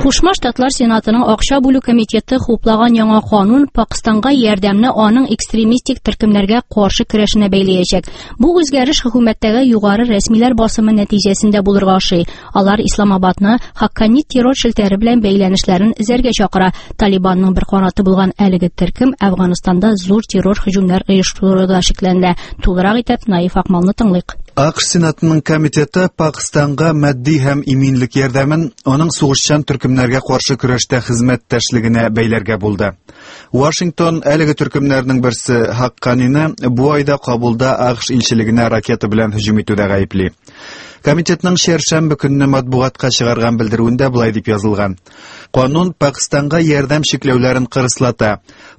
Кушма Штатлар Сенатының акча бүлү комитеты хуплаган яңа канун Пакыстанга ярдәмне аның экстремистик төркемнәргә каршы көрәшенә бәйләячәк. Бу үзгәреш хөкүмәттәге югары рәсмиләр басымы нәтиҗәсендә булырга ошый. Алар Исламабадны Хаккани террор челтәре белән бәйләнешләрен эзәргә чакыра. Талибанның бер канаты булган әлеге төркем Әфганстанда зур террор һөҗүмнәр оештыруда шикләнелә. Тулырак итеп Наиф Акмалны тыңлыйк. АКШ Сенатының комитеты Пакыстанга матди һәм иминлек ярдәмен аның сугышчан төркемнәргә каршы көрәштә хезмәттәшлегенә бәйләргә булды. Вашингтон әлеге төркемнәрнең берсе Хакканины бу айда Кабулда АКШ илчелегенә ракета белән һөҗүм итүдә гаепли. Комитетның чәршәмбе көнне матбугатка чыгарган белдерүендә болай дип язылган. Канун Пакыстанга ярдәм чикләүләрен кырыслата.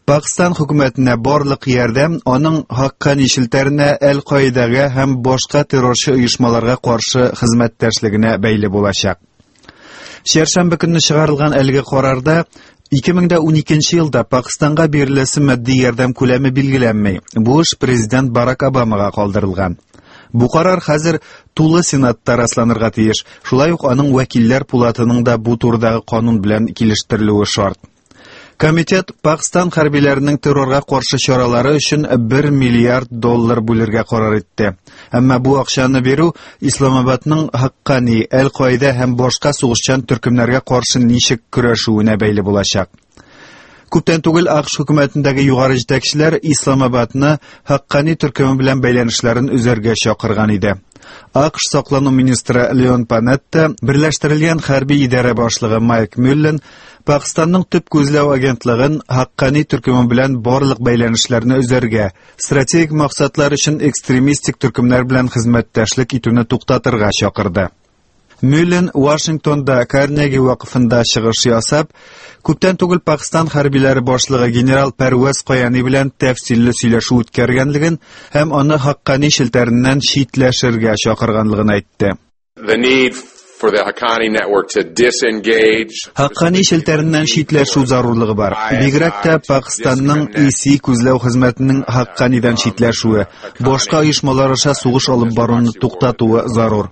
Пакыстан хөкүмәтенә барлык ярдәм аның Хаккани челтәренә, Әл-Каидәгә һәм башка террорчы оешмаларга каршы хезмәттәшлегенә бәйле булачак. Чәршәмбе көнне чыгарылган әлеге карарда 2012 елда Пакыстанга биреләсе матди ярдәм күләме билгеләнми. Бу эш президент Барак Обамага калдырылган. Бу карар хәзер тулы Сенатта расланырга тиеш. Шулай ук аның вәкилләр пулатының да бу турыдагы канун белән килештерелүе шарт. Комитет Пакстан хәрбиләренең террорга каршы чаралары өчен 1 миллиард доллар бүлергә карар итте. Әмма бу акчаны бирү Исламабадның Хаккани, Әл-Каида һәм башка сугышчан төркемнәргә каршы ничек көрәшүенә бәйле булачак. Күптән түгел АКШ хөкүмәтендәге югары җитәкчеләр Исламабадны Хаккани төркеме белән бәйләнешләрен өзәргә чакырган иде. АКШ саклану министры Леон Панетта, Берләштерелгән хәрби идарә башлыгы Майк Мюллен Пакыстанның төп күзләү агентлыгын Хаккани төркеме белән барлык бәйләнешләрне өзәргә, стратегик максатлар өчен экстремистик төркемнәр белән хезмәттәшлек итүне туктатырга чакырды. Мюллен Вашингтонда Карнеги вакыфында чыгыш ясап, күптән түгел Пакыстан хәрбиләре башлыгы генерал Пәрвәз Каяни белән тәфсилле сөйләшү үткәргәнлеген һәм аны Хаккани челтәреннән читләшергә чакырганлыгын әйтте. The need for the Haqqani network to disengage. Хаккани челтәреннән читләшү зарурлыгы бар. Бигрәк тә Пакыстанның ИСИ күзләү хезмәтенең Хакканидан читләшүе, башка оешмалар аша сугыш алып баруны туктатуы зарур.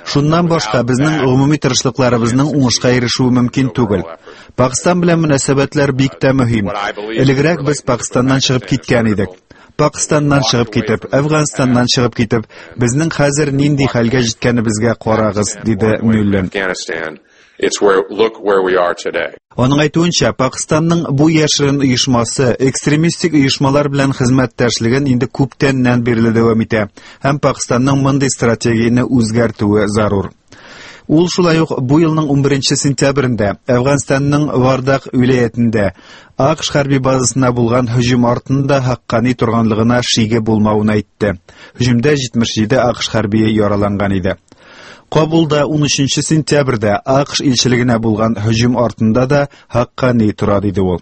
Шуннан башка безнең гомуми тырышлыкларыбызның уңышка ирешүе мөмкин түгел. Пакыстан белән мөнәсәбәтләр бик тә мөһим. Элегрәк без Пакыстаннан чыгып киткән идек. Пакыстаннан чыгып китеп, Әфганстаннан чыгып китеп, безнең хәзер нинди хәлгә җиткәнебезгә карагыз, диде Мюллен. It's where look where we are today. Аның әйтүенчә, Пакыстанның бу яшерен оешмасы экстремистик оешмалар белән хезмәттәшлеген инде күптәннән бирле дәвам итә һәм Пакыстанның мондый стратегияне үзгәртүе зарур. Ул шулай ук бу елның 11 сентябрендә Әфганстанның Вардак вилаятендә АКШ хәрби базасына булган һөҗүм артында Хаккани торганлыгына шиге булмавын әйтте. Һөҗүмдә 77 АКШ хәрбие яраланган иде. Кабулда 13 сентябрьдә АКШ илчелегенә булган һөҗүм артында да Хаккани тора, диде ул.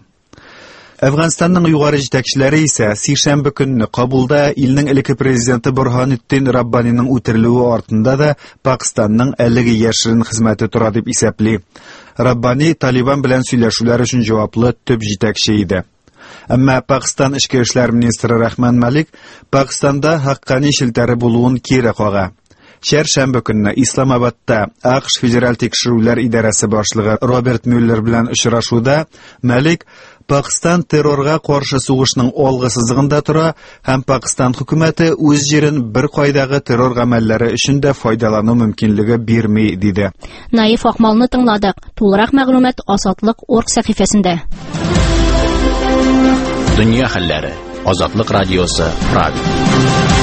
Әфганстанның югары җитәкчеләре исә сишәмбе көнне Кабулда илнең элекке президенты Борһанетдин Раббаниның үтерелүе артында да Пакыстанның әлеге яшерен хезмәте тора дип исәпли. Раббани Талибан белән сөйләшүләр өчен җаваплы төп җитәкче иде. Әмма Пакыстан эчке эшләр министры Рахман Малик Пакыстанда Хаккани челтәре булуын кире кага. Чәршәмбе көнне Исламабадта АКШ Федераль тикшерүләр идарәсе башлыгы Роберт Мюллер белән очрашуда Малик Пакыстан террорга каршы сугышның алгы сызыгында тора һәм Пакыстан хөкүмәте үз җирен бер кайдагы террор гамәлләре өчен дә файдалану мөмкинлеге бирми, диде. Наиф Акмалны тыңладык. Тулырак мәгълүмат Азатлык.орг сәхифәсендә. Дөнья хәлләре. Азатлык радиосы, Прага.